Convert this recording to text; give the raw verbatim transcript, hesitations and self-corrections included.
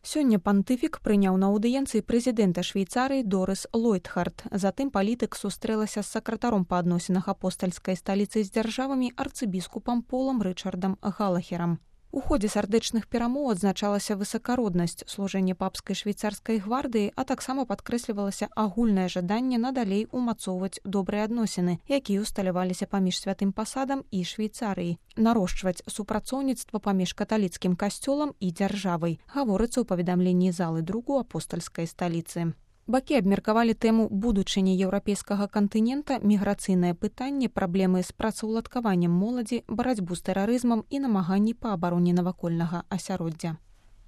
Сёння пантыфік прыняў на аўдыенцыі прэзідэнта Швейцарыі Дорыс Лойдхард. Затым палітык сустрэлася з сакратаром па адносінах апостальскай сталіцы з дзяржавамі арцыбіскупам Полам Рычардам Галахерам. У ходзе сардэчных перамоў адзначалася высакароднасць служэння папскай швейцарскай гвардыі, а таксама падкрэслівалася агульнае жаданне надалей умацоўваць добрыя адносіны, якія усталяваліся паміж святым пасадам і Швейцарыяй, нарошчваць супрацоўніцтва паміж каталіцкім касцёлам і дзяржавай, гаворыцца ў паведамленні залы другу апостальскай сталіцы. Бакі абмеркавалі тэму будучыні еўрапейскага кантынента, міграцыйнае пытанне, праблемы з працаўладкаваннем моладзі, барацьбу з тэрарызмам і намаганні па абароне навакольнага асяроддзя.